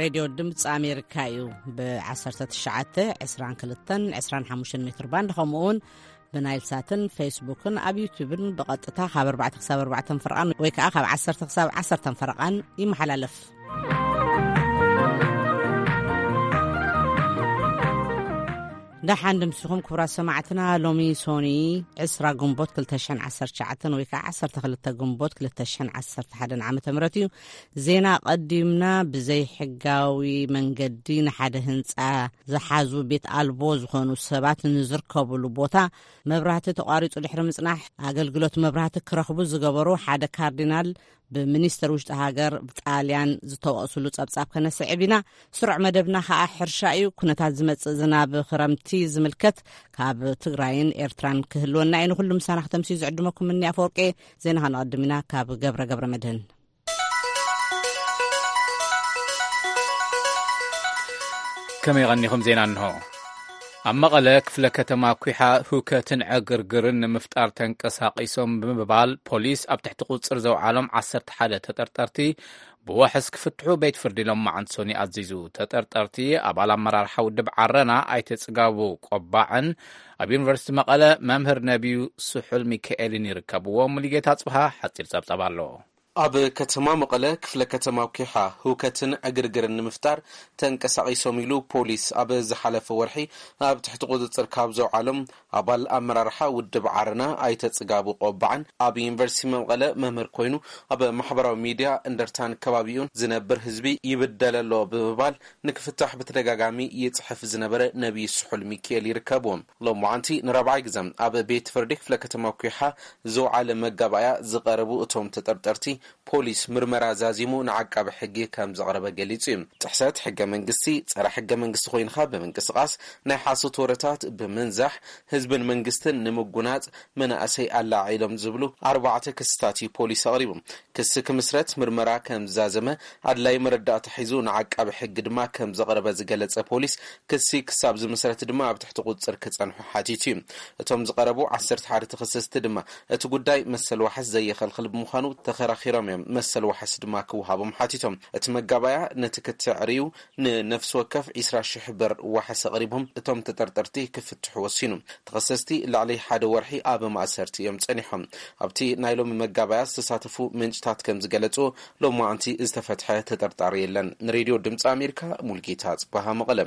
ሬድዮ ድምፂ ኣሜሪካ እዩ። ብ19፣ 22፣ 25 ሜትር ባንድ፣ ከምኡ እውን ብናይል ሳትን ፌስቡክን ኣብ ዩቲዩብን ብቐጥታ ካብ ኣርባዕተ ክሳብ ኣርባዕተ ፈረቓን ወይ ከዓ ካብ ዓሰርተ ክሳብ ዓሰርተ ፈረቓን ይመሓላለፍ። ደሓን ድምስኹም ክቡራት ሰማዕትና። ሎሚ ሶኒ ዕስራ ግንቦት ክልተ ሽሕን ዓሰርተ ትሽዓተን ወይ ከዓ ዓሰርተ ክልተ ግንቦት ክልተ ሽሕን ዓሰርተ ሓደን ዓመተ ምህረት እዩ። ዜና ቀዲምና። ብዘይሕጋዊ መንገዲ ንሓደ ህንፃ ዝሓዙ ቤት ኣልቦ ዝኾኑ ሰባት ንዝርከብሉ ቦታ መብራህቲ ተቋሪጹ ድሕሪ ምጽናሕ ኣገልግሎት መብራህቲ ክረኽቡ ዝገበሩ ሓደ ካርዲናል ብሚኒስተር ውሽጢ ሃገር ጣልያን ዝተወቕስሉ ጸብጻብ ከነስዕብ ኢና። ስሩዕ መደብና ከኣ ሕርሻ እዩ። ኩነታት ዝመጽእ ዝናብ ክረምቲ ዝምልከት ካብ ትግራይን ኤርትራን ክህልወና እዩ። ንኹሉ ምሳና ክተምስዩ ዝዕድመኩም እኒ ኣፈወርቄ። ዜና ከነቐድም ኢና ካብ ገብረ ገብረ መድህን። ከመይ ቀኒኹም? ዜና እንሆ። ኣብ መቐለ ክፍለ ከተማ ኩሓ ህውከትን ዕግርግርን ንምፍጣር ተንቀሳቒሶም ብምባል ፖሊስ ኣብ ትሕቲ ቁጽር ዘውዓሎም ዓሰርተ ሓደ ተጠርጠርቲ ብዋሕስ ክፍትሑ ቤት ፍርዲ ሎማዓንቲ ሶኒ ኣዚዙ። ተጠርጠርቲ ኣባል ኣመራርሓ ውድብ ዓረና ኣይተ ጽጋቡ ቆባዕን ኣብ ዩኒቨርሲቲ መቐለ መምህር ነቢዩ ስሑል ሚካኤልን ይርከብዎም። ሙሉጌታ ጽብሃ ሓጺር ጸብጻብ ኣሎ። ኣብ ከተማ መቐለ ክፍለ ከተማ ኩሓ ህውከትን ዕግርግርን ንምፍጣር ተንቀሳቒሶም ኢሉ ፖሊስ ኣብ ዝሓለፈ ወርሒ ኣብ ትሕቲ ቁጽጽር ካብ ዘውዓሎም ኣባል ኣመራርሓ ውድብ ዓረና ኣይተ ጽጋቡ ቆባዕን ኣብ ዩኒቨርሲቲ መቐለ መምህር ኮይኑ ኣብ ማሕበራዊ ሚድያ እንደርታን ከባቢኡን ዝነብር ህዝቢ ይብደል ኣሎ ብምባል ንክፍታሕ ብተደጋጋሚ ይጽሕፍ ዝነበረ ነቢይ ስሑል ሚካኤል ይርከብዎም። ሎማዓንቲ ንራብዓይ ግዜ ኣብ ቤት ፍርዲ ክፍለ ከተማ ኩሓ ዝውዓለ መጋባእያ ዝቐረቡ እቶም ተጠርጠርቲ ፖሊስ ምርመራ ዛዚሙ ንዓቃቢ ሕጊ ከም ዘቕረበ ገሊጹ እዩ። ጥሕሰት ሕገ መንግስቲ፣ ጸረ ሕገ መንግስቲ ኮይንካ ብምንቅስቓስ፣ ናይ ሓሶት ወረታት ብምንዛሕ፣ ህዝብን መንግስትን ንምጉናጽ መናእሰይ ኣላዒሎም ዝብሉ ኣርባዕተ ክስታት እዩ ፖሊስ ኣቕሪቡ። ክሲ ክምስረት ምርመራ ከም ዝዛዘመ ኣድላይ መረዳእታ ሒዙ ንዓቃቢ ሕጊ ድማ ከም ዘቕረበ ዝገለጸ ፖሊስ፣ ክሲ ክሳብ ዝምስረት ድማ ኣብ ትሕቲ ቁጽጽር ክጸንሑ ሓቲቱ እዩ። እቶም ዝቐረቡ ዓሰርተ ሓደ ተኸሰስቲ ድማ እቲ ጉዳይ መሰል ዋሕስ ዘየኸልኽል ብምዃኑ ተኸራኺሮም እዮም። መሰል ዋሕስ ድማ ክወሃቦም ሓቲቶም። እቲ መጋባያ ነቲ ክትዕ ርእዩ ንነፍሲ ወከፍ ዒስራ ሽሕ ብር ዋሕስ ኣቕሪቦም እቶም ተጠርጠርቲ ክፍትሑ ወሲኑ። ተኸሰስቲ ልዕሊ ሓደ ወርሒ ኣብ ማእሰርቲ እዮም ጸኒሖም። ኣብቲ ናይ ሎሚ መጋባያ ዝተሳተፉ ምንጭታት ከም ዝገለጹ ሎማዓንቲ ዝተፈትሐ ተጠርጣሪ የለን። ንሬድዮ ድምፂ ኣሜሪካ ሙልጌታ ጽባሃ መቐለ።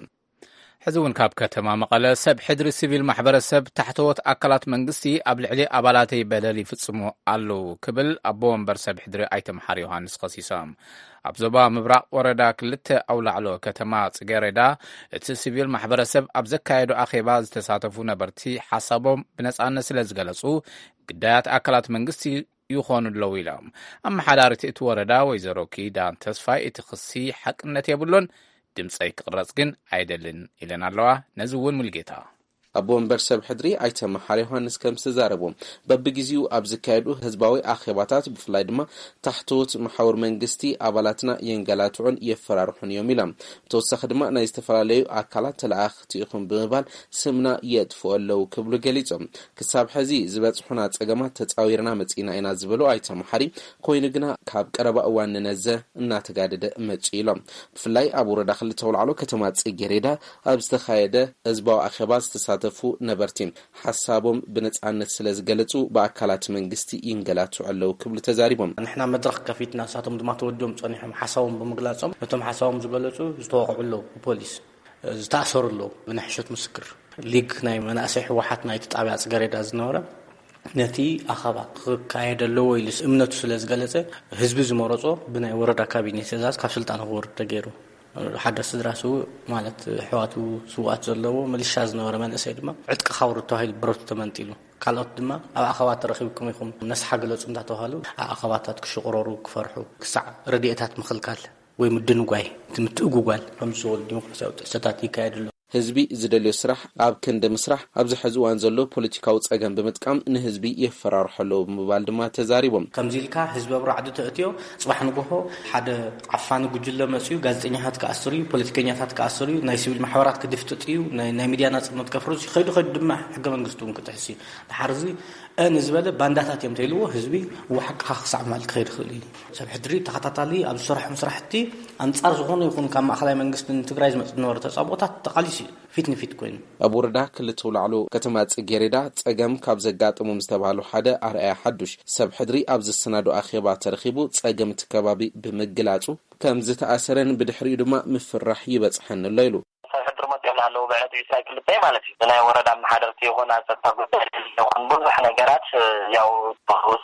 ሕዚ እውን ካብ ከተማ መቐለ ሰብ ሕድሪ ሲቪል ማሕበረሰብ ታሕተዎት ኣካላት መንግስቲ ኣብ ልዕሊ ኣባላተይ በደል ይፍጽሙ ኣለዉ ክብል ኣቦ ወንበር ሰብ ሕድሪ ኣይተ መሓሪ ዮሃንስ ከሲሶም። ኣብ ዞባ ምብራቕ ወረዳ ክልተ ኣውላዕሎ ከተማ ጽጌረዳ እቲ ሲቪል ማሕበረሰብ ኣብ ዘካየዶ ኣኼባ ዝተሳተፉ ነበርቲ ሓሳቦም ብነጻነት ስለ ዝገለጹ ግዳያት ኣካላት መንግስቲ ይኾኑ ኣለዉ ኢሎም። ኣመሓዳሪት እቲ ወረዳ ወይዘሮ ኪዳን ተስፋይ እቲ ክሲ ሓቅነት የብሉን፣ ድምፀይ ክቕረጽ ግን ኣይደልን ኢለን ኣለዋ። ነዚ እውን ሙልጌታ። ኣቦ ወንበር ሰብ ሕድሪ ኣይተ መሓሪ ዮሃንስ ከም ዝተዛረቡ በብግዜኡ ኣብ ዝካየዱ ህዝባዊ ኣኼባታት ብፍላይ ድማ ታሕተዎት መሓውር መንግስቲ ኣባላትና የንገላትዑን የፈራርሑን እዮም ኢሎም። ብተወሳኺ ድማ ናይ ዝተፈላለዩ ኣካላት ተለኣኽቲ ኢኹም ብምባል ስምና የጥፍኡ ኣለዉ ክብሉ ገሊጾም። ክሳብ ሕዚ ዝበጽሑና ጸገማት ተጻዊርና መጺእና ኢና ዝበሉ ኣይተ መሓሪ፣ ኮይኑ ግና ካብ ቀረባ እዋን ንነዘ እናተጋደደ መጺኡ ኢሎም። ብፍላይ ኣብ ወረዳ ክልተ ኣውላዕሎ ከተማ ጽጌሬዳ ኣብ ዝተኻየደ ህዝባዊ ኣኼባ ዝተሳተፉ ነበርቲ ሓሳቦም ብነጻነት ስለ ዝገለጹ ብኣካላት መንግስቲ ይንገላቱ ኣለዉ ክብሉ ተዛሪቦም። ንሕና መድረኽ ከፊትና ንሳቶም ድማ ተወዲቦም ጸኒሖም ሓሳቦም ብምግላጾም ነቶም ሓሳቦም ዝገለጹ ዝተወቕዑ ኣለዉ ብፖሊስ። ዝተኣሰሩ ኣለዉ ብናይ ሕሸት ምስክር። ሊግ ናይ መናእሰይ ህወሓት ናይቲ ጣብያ ጽገሬዳ ዝነበረ ነቲ ኣኸባ ክካየድ ኣለዎ ኢሉ እምነቱ ስለ ዝገለጸ ህዝቢ ዝመረጾ ብናይ ወረዳ ካቢኔ ትእዛዝ ካብ ስልጣን ክወርድ ተገይሩ። ሓደ ስድራ ስውእ ማለት ኣሕዋቱ ስውኣት ዘለዎ ምልሻ ዝነበረ መንእሰይ ድማ ዕጥቂ ካውርድ ተባሂሉ ብረቱ ተመንጢሉ። ካልኦት ድማ ኣብ ኣኸባ ተረኺብኩም ኢኹም ነስሓ ግለጹ እንዳተባሃሉ ኣብ ኣኸባታት ክሽቕረሩ ክፈርሑ ክሳዕ ረድኤታት ምኽልካል ወይ ምድንጓይ እቲ ምትእጉጓል ከም ዝበሉ ዲሞክራሲያዊ ጥሕሰታት ይካየድ ኣሎ። ህዝቢ ዝደልዮ ስራሕ ኣብ ክንዲ ምስራሕ፣ ኣብዚ ሕዚ እዋን ዘሎ ፖለቲካዊ ጸገም ብምጥቃም ንህዝቢ የፈራርሖ ኣለዉ ብምባል ድማ ተዛሪቦም። ከምዚ ኢልካ ህዝቢ ኣብ ራዕዲ ተእትዮ፣ ጽባሕ ንግሆ ሓደ ዓፋኒ ጉጅለ መጽዩ ጋዜጠኛታት ክኣስር እዩ፣ ፖለቲከኛታት ክኣስር እዩ፣ ናይ ሲቪል ማሕበራት ክድፍጥጥ እዩ፣ ናይ፣ ናይ ሚድያ ናጽነት ከፍርስ እዩ። ከይዱ ከይዱ ድማ ሕገ መንግስቲ እውን ክጥሕስ እዩ። ድሓር እዚ እ ንዝበለ ባንዳታት እዮም ተይልዎ፣ ህዝቢ ብሓቅኻ ክሳዕ ምባል ክኸይድ ይኽእል እዩ። ሰብ ሕድሪ ተኸታታሊ ኣብ ዝሰርሖም ስራሕቲ ኣንጻር ዝኾነ ይኹን ካብ ማእኸላይ መንግስቲ ንትግራይ ዝመጽእ ዝነበረ ተጻብኦታት ተቓሊሱ እዩ፣ ፊት ንፊት ኮይኑ። ኣብ ወረዳ ክልተ ኣውላዕሎ ከተማ ጽጌሬዳ ጸገም ካብ ዘጋጠሞም ዝተባህሉ ሓደ ኣርኣያ ሓዱሽ፣ ሰብ ሕድሪ ኣብ ዘሰናዶ ኣኼባ ተረኺቡ ጸገም እቲ ከባቢ ብምግላጹ ከም ዝተኣሰረን ብድሕሪኡ ድማ ምፍራሕ ይበጽሐኒ ኣሎ ኢሉ። ሰብ ሕድሪ መጺኦም ኣለዉ ብዕለት ዕስራ ክልተ ማለት እዩ። ብናይ ወረዳ ኣመሓደርቲ ይኹን ኣብ ጸጥታ ጉዳይ ይኹን ብዙሕ ነገራት ያው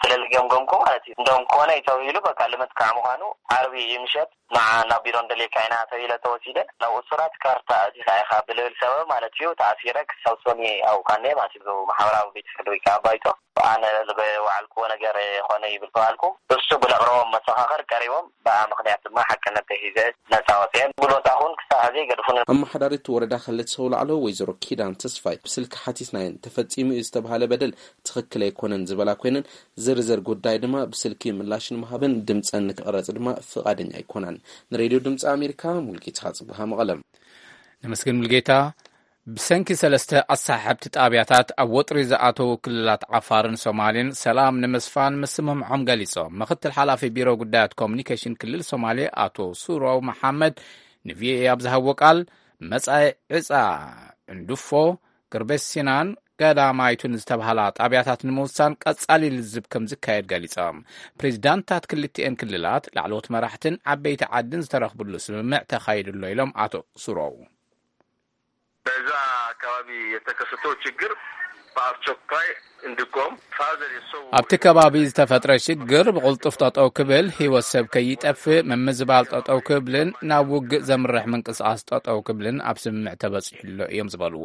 ስለ ዝገምገምኩ ማለት እዩ። እንደውም ኮነ እዩ ተባሂሉ በቃ ልመጥቃዕ ምዃኑ ዓርቢ ምሸት ንዓ ናብ ቢሮ እንደልየካ ኢና ተባሂለ ተወሲደ። ናብ እሱራት ካርታ ኣዚኻ ኢኻ ብልብል ሰበብ ማለት እዩ ተኣሲረ ክሳብ ሶኒ ኣብኡ ካነ ማለት እዩ። ማሕበራዊ ቤት ፍርዲ ወይ ከዓ ባይቶ ኣነ ዝበዋዓልክዎ ነገር ኮነ ይብል ተባልኩ። እሱ ብለቕረቦም መሰኻኽር ቀሪቦም ብኣ ምኽንያት ድማ ሓቅነት ተሂዘ ነፃ ወፅኤ። ጉልበት ኣኹን ክሳብ ሕዚ ገድፉን። ኣመሓዳሪት ወረዳ ክልተ ሰው ላዕሎ ወይዘሮ ኪዳን ተስፋይ ብስልኪ ሓቲትናየን ተፈፂሙ እዩ ዝተባሃለ በደል ትኽክል ኣይኮነን ዝበላ ኮይነን ዝርዝር ጉዳይ ድማ ብስልኪ ምላሽ ንምሃብን ድምፀን ንክቕረፅ ድማ ፍቓደኛ ኣይኮናን። ንሬድዮ ድምፂ ኣሜሪካ ሙልጌታ ጽቡሃ መቐለም። ነመስግን ሙልጌታ። ብሰንኪ ሰለስተ ኣሰሓሕብቲ ጣብያታት ኣብ ወጥሪ ዝኣተዉ ክልላት ዓፋርን ሶማሌን ሰላም ንምስፋን ምስምምዖም ገሊጾም። ምክትል ሓላፊ ቢሮ ጉዳያት ኮሙኒኬሽን ክልል ሶማሌ ኣቶ ሱሮው መሓመድ ንቪኦኤ ኣብ ዝሃቦ ቃል፣ መጻኢ ዕጻ ዕንዱፎ፣ ግርቤሲናን ገዳማይቱን ዝተባህላ ጣብያታት ንምውሳን ቀጻሊ ልዝብ ከም ዝካየድ ገሊጾም። ፕሬዚዳንታት ክልቲኤን ክልላት ላዕለዎት መራሕትን ዓበይቲ ዓድን ዝተረኽብሉ ስምምዕ ተኻይዱ ኣሎ ኢሎም ኣቶ ሱሮው። በዛ አካባቢ የተከሰተው ችግር በአስቸኳይ እንዲቆም፣ ፋዘር የሰው ኣብቲ ከባቢ ዝተፈጥረ ሽግር ብቕልጡፍ ጠጠው ክብል፣ ህይወት ሰብ ከይጠፍእ፣ ምምዝባል ጠጠው ክብልን ናብ ውግእ ዘምርሕ ምንቅስቓስ ጠጠው ክብልን ኣብ ስምምዕ ተበጺሑ ኣሎ እዮም ዝበሉ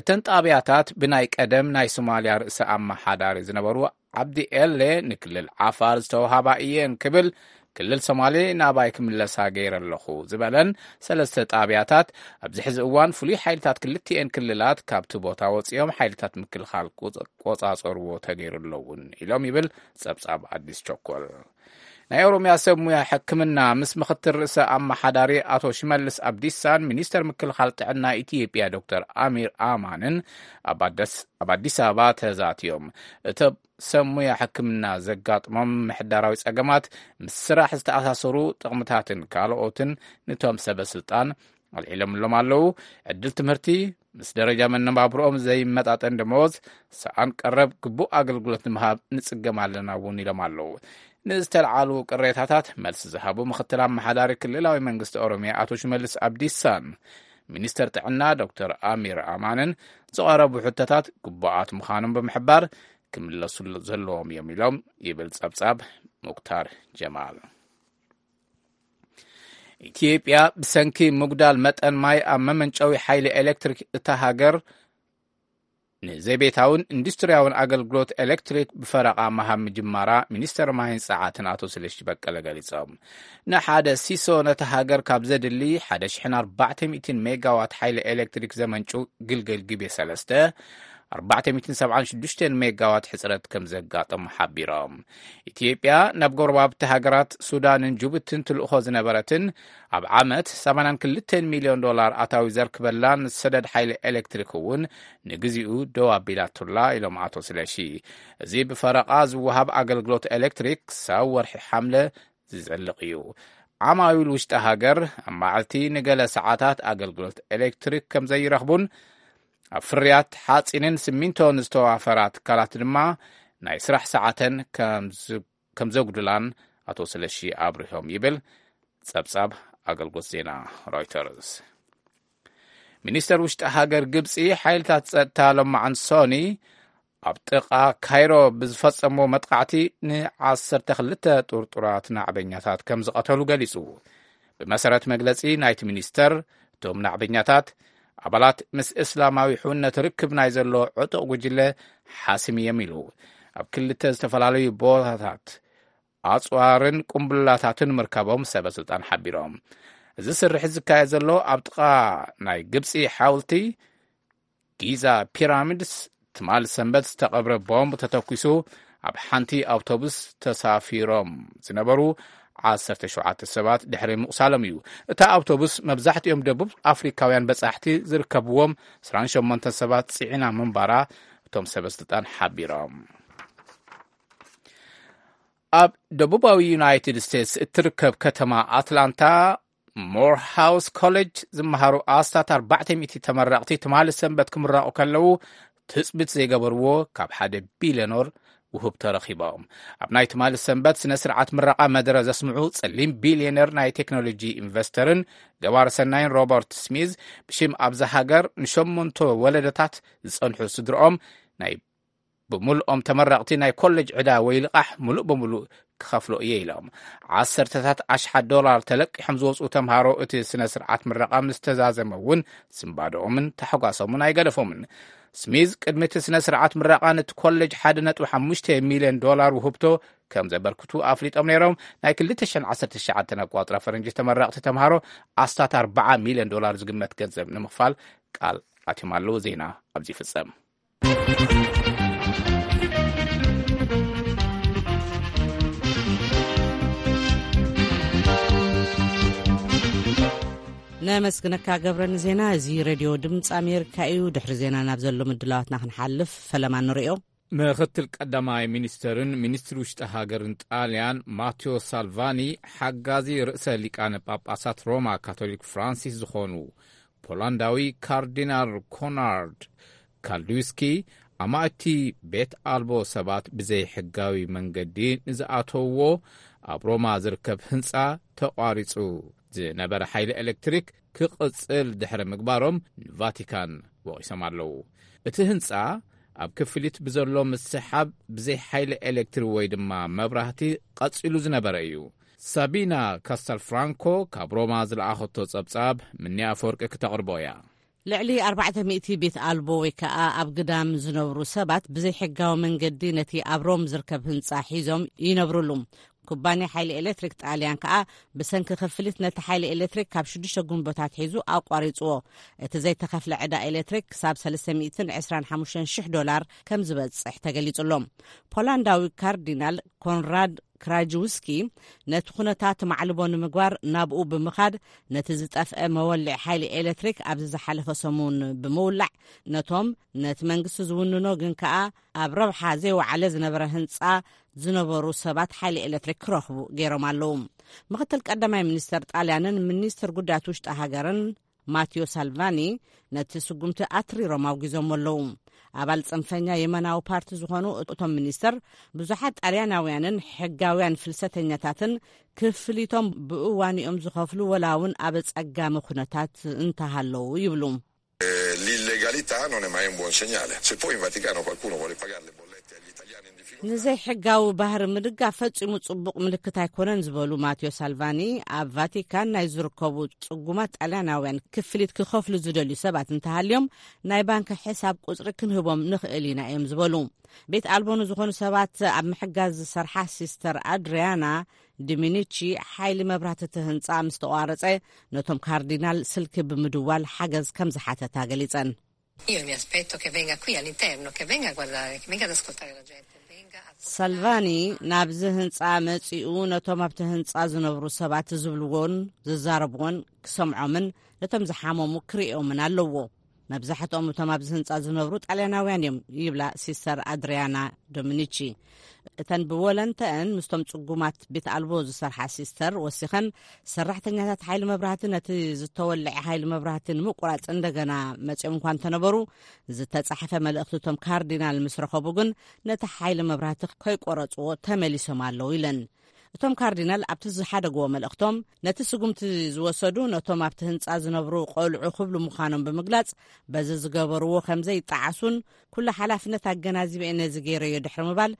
እተን ጣብያታት ብናይ ቀደም ናይ ሶማልያ ርእሰ ኣመሓዳሪ ዝነበሩ ዓብዲ ኤሌ ንክልል ዓፋር ዝተውሃባ እየን ክብል ክልል ሶማሌ ናባይ ክምለሳ ገይረ ኣለኹ ዝበለን ሰለስተ ጣብያታት ኣብዚ ሕዚ እዋን ፍሉይ ሓይልታት ክልቲኤን ክልላት ካብቲ ቦታ ወፂኦም ሓይልታት ምክልኻል ቆፃ-፣ ቆፃፀርዎ ተገይሩ ኣለውን ኢሎም ይብል ፀብፃብ ኣዲስ ቸኮል። ናይ ኦሮሚያ ሰብ ሙያ ሕክምና ምስ ምክትል ርእሰ ኣመሓዳሪ ኣቶ ሽመልስ ኣብዲሳን ሚኒስተር ምክልኻል ጥዕና ኢትዮጵያ ዶክተር ኣሚር ኣማንን ኣብ ኣደስ-፣ ኣብ ኣዲስ ኣበባ ተዛትዮም። እቶም ሰብ ሙያ ሕክምና ዘጋጥሞም ምሕዳራዊ ጸገማት ምስ ስራሕ ዝተኣሳሰሩ ጥቕምታትን ካልኦትን ነቶም ሰበ ስልጣን ኣልዒሎምሎም ኣለዉ። ዕድል ትምህርቲ ምስ ደረጃ መነባብሮኦም ዘይመጣጠን ደመወዝ፣ ሰኣን ቀረብ ግቡእ ኣገልግሎት ንምሃብ ንጽገም ኣለና እውን ኢሎም ኣለዉ። ንዝተልዓሉ ቅሬታታት መልሲ ዝሃቡ ምኽትል ኣመሓዳሪ ክልላዊ መንግስቲ ኦሮሚያ ኣቶ ሽመልስ ኣብዲሳን ሚኒስተር ጥዕና ዶክተር ኣሚር ኣማንን ዝቐረቡ ሕቶታት ግቡኣት ምዃኖም ብምሕባር፣ ክምለሱ ዘለዎም እዮም ኢሎም ይብል ጸብጻብ ሙክታር ጀማል። ኢትዮጵያ ብሰንኪ ምጉዳል መጠን ማይ ኣብ መመንጨዊ ሓይሊ ኤሌክትሪክ እታ ሃገር ንዘይቤታውን ኢንዱስትርያውን ኣገልግሎት ኤሌክትሪክ ብፈረቓ ምሃብ ምጅማራ ሚኒስተር ማይን ጸዓትን ኣቶ ስለሺ በቀለ ገሊጾም። ንሓደ ሲሶ ነቲ ሃገር ካብ ዘድሊ ሓደ ሽሕን ኣርባዕተ ሚእትን ሜጋዋት ሓይሊ ኤሌክትሪክ ዘመንጩ ግልገል ግቤ ሰለስተ ኣርባዕተ ሚእትን ሰብዓን ሽዱሽተን ሜጋዋት ሕጽረት ከም ዘጋጠሙ ሓቢሮም። ኢትዮጵያ ናብ ጎረባብቲ ሃገራት ሱዳንን ጅቡትን ትልእኾ ዝነበረትን ኣብ ዓመት ሰማንያን ክልተን ሚልዮን ዶላር ኣታዊ ዘርክበላን ሰደድ ሓይሊ ኤሌክትሪክ እውን ንግዚኡ ደው ኣቢላቱላ ኢሎም ኣቶ ስለሺ። እዚ ብፈረቓ ዝወሃብ ኣገልግሎት ኤሌክትሪክ ክሳብ ወርሒ ሓምለ ዝዘልቕ እዩ። ዓማዊል ውሽጢ ሃገር ኣብ መዓልቲ ንገለ ሰዓታት ኣገልግሎት ኤሌክትሪክ ከም ዘይረኽቡን ኣብ ፍርያት ሓጺንን ሲሚንቶን ዝተዋፈራ ትካላት ድማ ናይ ስራሕ ሰዓተን ከም ዝ-፣ ከም ዘጉድላን ኣቶ ስለሺ ኣብሪሆም ይብል ጸብጻብ ኣገልግሎት ዜና ሮይተርስ። ሚኒስተር ውሽጢ ሃገር ግብጺ ሓይልታት ጸጥታ ሎማዓንቲ ሶኒ ኣብ ጥቓ ካይሮ ብዝፈጸሞ መጥቃዕቲ ንዓሰርተ ክልተ ጥርጡራት ናዕበኛታት ከም ዝቐተሉ ገሊጹ። ብመሰረት መግለጺ ናይቲ ሚኒስተር፣ እቶም ናዕበኛታት ኣባላት ምስ እስላማዊ ሕውነት ርክብ ናይ ዘሎ ዕጡቕ ጉጅለ ሓሲም እዮም ኢሉ። ኣብ ክልተ ዝተፈላለዩ ቦታታት ኣጽዋርን ቁምብላታትን ምርካቦም ሰበ ስልጣን ሓቢሮም። እዚ ስርሒት ዝካየድ ዘሎ ኣብ ጥቓ ናይ ግብጺ ሓውልቲ ጊዛ ፒራሚድስ ትማል ሰንበት ዝተቐብረ ቦምብ ተተኲሱ ኣብ ሓንቲ ኣውቶቡስ ተሳፊሮም ዝነበሩ ዓሰርተ ሸውዓተ ሰባት ድሕሪ ምቑሳሎም እዩ። እታ ኣውቶቡስ መብዛሕትኦም ደቡብ ኣፍሪካውያን በጻሕቲ ዝርከብዎም ዕስራን ሸሞንተ ሰባት ጽዒና ምንባራ እቶም ሰበ ስልጣን ሓቢሮም። ኣብ ደቡባዊ ዩናይትድ ስቴትስ እትርከብ ከተማ ኣትላንታ ሞርሃውስ ኮሌጅ ዝመሃሩ ኣስታት ኣርባዕተ ሚእቲ ተመረቕቲ ትማሊ ሰንበት ክምረቑ ከለዉ ትጽቢት ዘይገበርዎ ካብ ሓደ ቢልዮነር ውህብቶ ረኺቦም። ኣብ ናይ ትማሊ ሰንበት ስነ ስርዓት ምረቓ መደረ ዘስምዑ ጸሊም ቢልዮነር ናይ ቴክኖሎጂ ኢንቨስተርን ገባር ሰናይን ሮበርት ስሚዝ ብሽም ኣብዛ ሃገር ንሸሞንቶ ወለደታት ዝጸንሑ ስድርኦም ናይ ብምልኦም ተመረቕቲ ናይ ኮሌጅ ዕዳ ወይ ልቓሕ ምሉእ ብምሉእ ክኸፍሎ እየ ኢሎም። ዓሰርተታት ኣሽሓት ዶላር ተለቂሖም ዝወፅኡ ተምሃሮ እቲ ስነ ስርዓት ምረቓ ምስ ተዛዘመ እውን ስንባደኦምን ታሕጓሶምን ኣይገደፎምን። ስሚዝ ቅድሚ እቲ ስነ ስርዓት ምረቓ ነቲ ኮሌጅ ሓደ ነጥቢ ሓሙሽተ ሚልዮን ዶላር ውህብቶ ከም ዘበርክቱ ኣፍሊጦም ነይሮም። ናይ ክልተ ሽሕን ዓሰርተ ትሽዓተን ኣቋፅራ ፈረንጂ ተመረቕቲ ተምሃሮ ኣስታት ኣርባዓ ሚልዮን ዶላር ዝግመት ገንዘብ ንምኽፋል ቃል ኣትዮም ኣለዉ። ዜና ኣብዚ ይፍጸም። ነመስግነካ ገብረ ንዜና። እዚ ሬድዮ ድምፂ ኣሜሪካ እዩ። ድሕሪ ዜና ናብ ዘሎ ምድላዋትና ክንሓልፍ ፈለማ ንሪኦ። ምኽትል ቀዳማይ ሚኒስተርን ሚኒስትሪ ውሽጢ ሃገርን ጣልያን ማቴዎ ሳልቫኒ፣ ሓጋዚ ርእሰ ሊቃነ ጳጳሳት ሮማ ካቶሊክ ፍራንሲስ ዝኾኑ ፖላንዳዊ ካርዲናል ኮናርድ ካልድዊስኪ፣ ኣማእቲ ቤት ኣልቦ ሰባት ብዘይሕጋዊ መንገዲ ንዝኣተውዎ ኣብ ሮማ ዝርከብ ህንጻ ተቋሪጹ ዝነበረ ሓይሊ ኤሌክትሪክ ክቕጽል ድሕሪ ምግባሮም ንቫቲካን ወቒሶም ኣለዉ። እቲ ህንጻ ኣብ ክፍሊት ብዘሎ ምስሓብ ብዘይ ሓይሊ ኤሌክትሪክ ወይ ድማ መብራህቲ ቀጺሉ ዝነበረ እዩ። ሳቢና ካስተልፍራንኮ ካብ ሮማ ዝለኣኸቶ ጸብጻብ ምንያ ኣፈወርቂ ክተቕርቦ እያ። ልዕሊ ኣርባዕተ ሚእቲ ቤት ኣልቦ ወይ ከኣ ኣብ ግዳም ዝነብሩ ሰባት ብዘይ ሕጋዊ መንገዲ ነቲ ኣብ ሮም ዝርከብ ህንጻ ሒዞም ይነብሩሉ። ኩባንያ ሓይሊ ኤሌክትሪክ ጣልያን ከኣ ብሰንኪ ክፍሊት ነቲ ሓይሊ ኤሌክትሪክ ካብ ሽዱሽተ ጉንቦታት ሒዙ ኣቋሪጽዎ። እቲ ዘይተኸፍለ ዕዳ ኤሌክትሪክ ክሳብ ሰለስተ ሚእትን ዕስራን ሓሙሽተን ሽሕ ዶላር ከም ዝበጽሕ ተገሊጹ ኣሎ። ፖላንዳዊ ካርዲናል ኮንራድ ክራጅውስኪ ነቲ ኩነታት ማዕልቦ ንምግባር ናብኡ ብምኻድ ነቲ ዝጠፍአ መወልዒ ሓይሊ ኤሌክትሪክ ኣብዚ ዝሓለፈ ሰሙን ብምውላዕ ነቶም ነቲ መንግስቲ ዝውንኖ ግን ከኣ ኣብ ረብሓ ዘይወዓለ ዝነበረ ህንጻ ዝነበሩ ሰባት ሓይሊ ኤሌክትሪክ ክረኽቡ ገይሮም ኣለዉ። ምኽትል ቀዳማይ ሚኒስተር ጣልያንን ሚኒስትር ጉዳያት ውሽጢ ሃገርን ማቲዮ ሳልቫኒ ነቲ ስጉምቲ ኣትሪሮም ኣውጊዞም ኣለዉ። ኣባል ጽንፈኛ የመናዊ ፓርቲ ዝኾኑ እቶም ሚኒስተር ብዙሓት ጣልያናውያንን ሕጋውያን ፍልሰተኛታትን ክፍሊቶም ብእዋንኦም ዝኸፍሉ ወላ እውን ኣብ ጸጋሚ ኩነታት እንተሃለዉ ይብሉ። Eh, l'illegalità non è mai un buon segnale. Se poi in Vaticano qualcuno vuole pagare le bollette agli italiani in difficoltà. ንዘይሕጋዊ ባህሪ ምድጋፍ ፈጺሙ ጽቡቕ ምልክት ኣይኮነን ዝበሉ ማቴዎ ሳልቫኒ፣ ኣብ ቫቲካን ናይ ዝርከቡ ጽጉማት ጣልያናውያን ክፍሊት ክኸፍሉ ዝደልዩ ሰባት እንተሃልዮም ናይ ባንክ ሕሳብ ቁጽሪ ክንህቦም ንኽእል ኢና እዮም ዝበሉ። ቤት ኣልቦ ንዝኾኑ ሰባት ኣብ ምሕጋዝ ዝሰርሓ ሲስተር ኣድሪያና ዲሚኒቺ ሓይሊ መብራህቲ እቲ ህንጻ ምስ ተቋረጸ ነቶም ካርዲናል ስልኪ ብምድዋል ሓገዝ ከም ዝሓተታ ገሊጸን። Io mi aspetto che venga qui all'interno, che venga a guardare, che venga ad ascoltare la gente, venga a... ሳልቫኒ ናብዚ ህንጻ መጺኡ ነቶም ኣብቲ ህንጻ ዝነብሩ ሰባት ዝብልዎን ዝዛረብዎን ክሰምዖምን ነቶም ዝሓመሙ ክርእዮምን ኣለዎ። መብዛሕትኦም እቶም ኣብዚ ህንጻ ዝነብሩ ጣልያናውያን እዮም ይብላ ሲስተር ኣድሪያና ዶሚኒቺ። እተን ብወለንተአን ምስቶም ጽጉማት ቤት ኣልቦ ዝሰርሓ ሲስተር ወሲኸን፣ ሰራሕተኛታት ሓይሊ መብራህቲ ነቲ ዝተወልዐ ሓይሊ መብራህቲ ንምቁራጽ እንደገና መጺኦም እኳ እንተነበሩ፣ ዝተጻሕፈ መልእኽቲ እቶም ካርዲናል ምስ ረኸቡ ግን ነቲ ሓይሊ መብራህቲ ከይቆረጽዎ ተመሊሶም ኣለዉ ኢለን። እቶም ካርዲናል ኣብቲ ዝሓደግዎ መልእኽቶም፣ ነቲ ስጉምቲ ዝወሰዱ ነቶም ኣብቲ ህንጻ ዝነብሩ ቆልዑ ክብሉ ምዃኖም ብምግላጽ፣ በዚ ዝገበርዎ ከም ዘይጠዓሱን ኩሉ ሓላፍነት ኣገናዚበ እየ ነዚ ገይረዮ ድሕሪ ምባል፣